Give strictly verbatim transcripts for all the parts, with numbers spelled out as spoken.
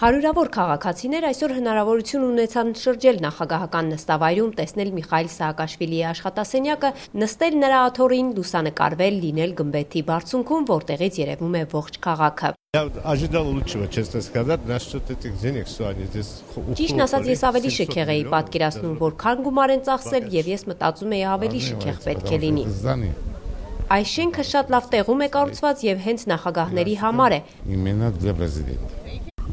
Հարյուրավոր քաղաքացիներ այսօր հնարավորություն ունեցան շրջել նախագահական նստավայրում, տեսնել Միխայիլ Սաակաշվիլիի աշխատասենյակը, նստել նրա աթոռին, լուսանկարվել, լինել գմբեթի բարձունքում, որտեղից երևում է ողջ քաղաքը։ Ճիշտն ասած, ես ավելի շքեղ էի պատկերացնում, որքան գումար են ծախսել, եւ ես մտածում էի ավելի շքեղ պետք է լինի։ Այս շենքը շատ լավ տեղում է կառուցված եւ հենց նախագահների համար է։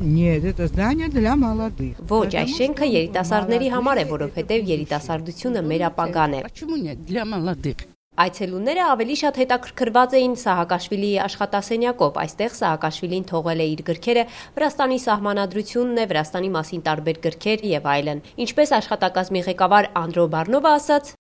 Нет, это здание для молодых. Ոչ, այս շենքը երիտասարդների համար է, որովհետև երիտասարդությունը մեր ապագան է։ Почему нет? Для молодых. Այցելուները ավելի շատ հետաքրքրված էին Սաակաշվիլիի աշխատասենյակով։ Այստեղ Սաակաշվիլին թողել է իր գրքերը, Վրաստանի սահմանադրությունն է, Վրաստանի մասին տարբեր գրքեր եւ այլն։ Ինչպես աշխատակազմի ղեկավար Անդրո Բարնովը ասաց.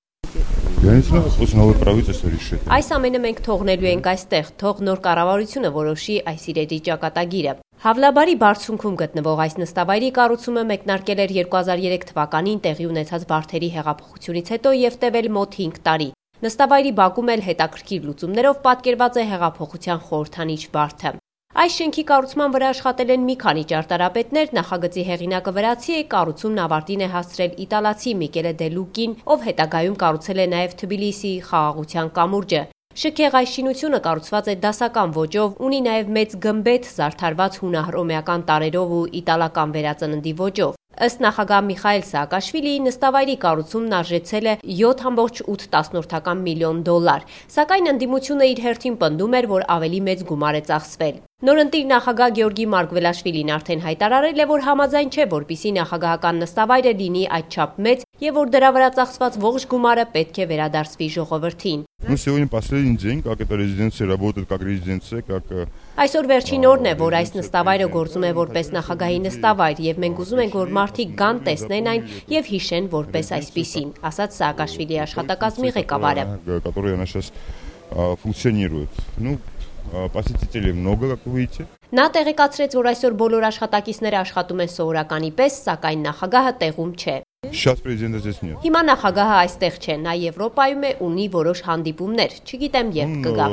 Այս ամենը մենք թողնելու ենք այստեղ, թող նոր կառավարությունը որոշի այս իրերի ճակատագիրը։ Հավլաբարի բարձունքում գտնվող այս նստավայրի կառուցումը մեկնարկել էր երկու հազար երեք թվականին տեղի ունեցած Վարդերի հեղափոխությունից հետո եւ տևել մոտ հինգ տարի։ Նստավայրի բակում էլ հետաքրքիր լուծումներով պատկերված է հեղափոխության խորհրդանիշ Վարդը։ Այս շենքի կառուցման վրա աշխատել են մի քանի ճարտարապետներ, նախագծի հեղինակը վրացի է, կառուցումն ավարտին է հասցրել իտալացի Միկելե դե Լուկին, ով հետագայում կառուցել է նաև Թբիլիսիի խաղաղության կամուրջը։ Շքեղ այս շինությունը կառուցված է դասական ոճով, ունի նաև մեծ գմբեթ, զարդարված հունահռոմեական տարրերով ու իտալական վերածննդի ոճով։ Ըստ նախագահ Միխայիլ Սաակաշվիլիի նստավայրի կառուցումն արժեցել է յոթ կόμμα ութ միլիոն դոլար, սակայն ընդդիմությունը իր հերթին պնդում էր, որ ավելի մեծ գումար է ծախսվել։ Նորընտիր նախագահ Գեորգի Մարգվելաշվիլին արդեն հայտարարել է, որ համաձայն չէ, որպեսզի նախագահական նստավայրը լինի այդչափ մեծ եւ որ դրա վրա ծախսված ողջ գումարը պետք է վերադարձվի ժողովրդին։ Այսօր վերջին օրն է, որ այս նստավայրը գործում է որպես նախագահի նստավայր եւ մենք ուզում ենք, որ մարդիկ գան, տեսնեն այն եւ հիշեն որպես այսպիսին, ասաց Սաակաշվիլիի աշխատակազմի ղեկավարը։ Նա տեղեկացրեց, որ այսօր բոլոր աշխատակիցները աշխատում են սովորականի պես, սակայն նախագահը տեղում չէ։ Հիմա նախագահը այստեղ չէ, նա Եվրոպայում է, ունի որոշ հանդիպումներ, չգիտեմ երբ կգա։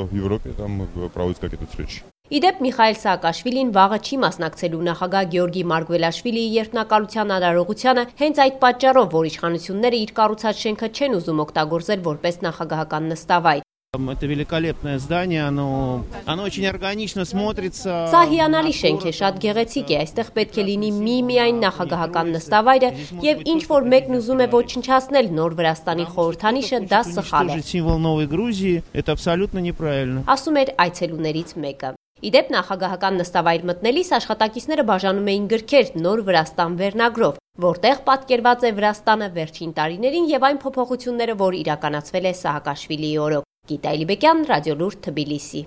Իդեպ Միխայիլ Սաակաշվիլին վաղը չի մասնակցելու նախագահ Գեորգի Մարգվելաշվիլիի երթնակալության արարողությանը հենց այդ պատճառով, որ իշխանությունները իր կառուցած շենքը չեն ուզում օգտագործել որպես նախագահական նստավայր։ Это великолепное здание, оно, оно очень органично смотрится. Սա հիանալի շենք է, շատ գեղեցիկ է, այստեղ պետք է լինի մի միայն նախագահական նստավայրը եւ ինչ որ մեկն ուզում է ոչնչացնել նոր Վրաստանի խորհրդանիշը, դա սխալ է։ Символ Новой Грузии, это абсолютно неправильно. Ասում էր այցելուներից մեկը։ Իդեպ նախագահական նստավայր մտնելիս աշխատակիցները բաժանում էին գրքեր Նոր Վրաստան վերնագրով, որտեղ պատկերված է Վրաստանը վերջին տարիներին եւ այն փոփոխությունները, որ իրականացվել է Սաակաշվիլիի օրոք։ Գիտա Էլիբեկյան, Ռադիոլուրդ, Թբիլիսի։